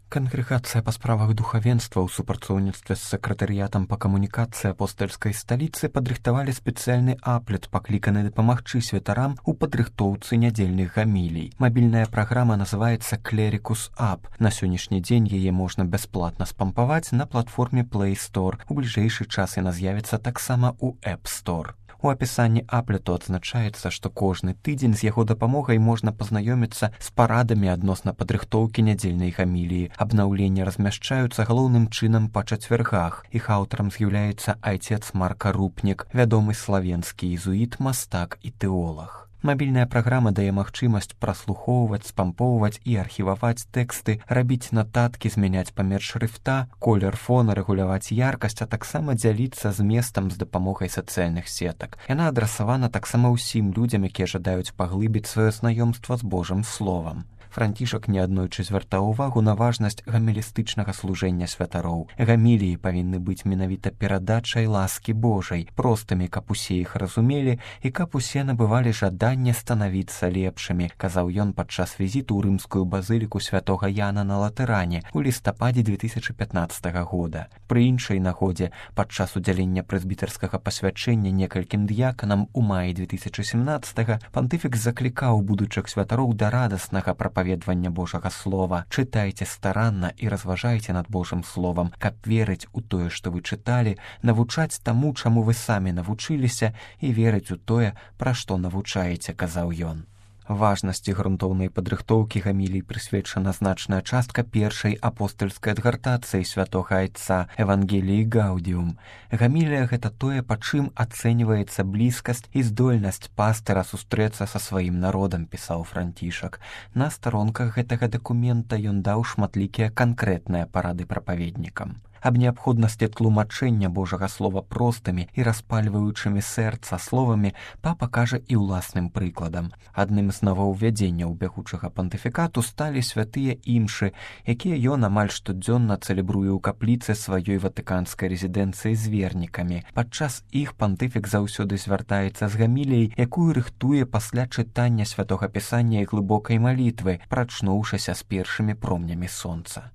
Кангрэгацыя па справах духавенства ў супрацоўніцтве з сакратарыятам па камунікацыі апостальскай сталіцы падрыхтавалі спецыяльны аплет, пакліканы дапамагчы святарам у падрыхтоўцы нядзельных гамілій. Мабільная праграма называецца Clericus App. На сённяшні дзень яе можна бясплатна спампаваць на платформе Play Store. У бліжэйшы час яна з'явіцца таксама ў App Store. У апісанні аплету адзначаецца, што кожны тыдзень з яго дапамогай можна пазнаёміцца з парадамі адносна падрыхтоўкі нядзельнай гаміліі. Абнаўленні размяшчаюцца галоўным чынам па чацвяргах. Іх аўтарам з'яўляецца айцец Марка Рупнік, вядомы славенскі езуіт, мастак і тэолаг. Мабільная праграма дае магчымасць праслухоўваць, спампоўваць і архіваваць тэксты, рабіць нататкі, змяняць памер шрыфта, колер фона, рэгуляваць яркасць, а таксама дзяліцца зместам з дапамогай сацыяльных сетак. Яна адрасавана таксама ўсім людзям, якія жадаюць паглыбіць сваё знаёмства з Божым словам. Францішак неаднойчы звяртаў увагу на важнасць гамілістычнага служэння святароў. Гаміліі павінны быць менавіта перадачай ласкі Божай, простымі, каб усе іх разумелі і каб усе набывалі жаданне станавіцца лепшымі, казаў ён падчас візіту ў рымскую базыліку святога Яна на Латэране у лістападзе 2015 года. Пры іншай нагодзе, падчас удзялення прэзбітарскага пасвячэння некалькім д'яканам у маі 2017 пантыфік заклікаў будучых святароў да радаснага прапаведвання Божага слова. Чытайце старанна і разважайце над Божым словам, каб верыць у тое, што вы чыталі, навучаць таму, чаму вы самі навучыліся, і верыць у тое, пра што навучаеце, казаў ён. Важнасці грунтоўнай падрыхтоўкі гамілій прысвечана значная частка першай апостальскай адгартацыі святога айца Евангеліі Гаудіум. Гамілія — гэта тое, па чым ацэньваецца блізкасць і здольнасць пастыра сустрэцца са сваім народам, пісаў Францішак. На старонках гэтага дакумента ён даў шматлікія канкрэтныя парады прапаведнікам. Аб неабходнасці тлумачэння Божага слова простымі і распальваючымі сэрца словамі папа кажа і ўласным прыкладам. Адным з новаўвядзенняў бягучага пантыфікату сталі святыя імшы, якія ён амаль штодзённа цэлебруе ў капліцы сваёй ватыканскай рэзідэнцыі з вернікамі. Падчас іх пантыфік заўсёды звяртаецца з гаміліяй, якую рыхтуе пасля чытання святога пісання і глыбокай малітвы, прачнуўшыся з першымі промнямі сонца.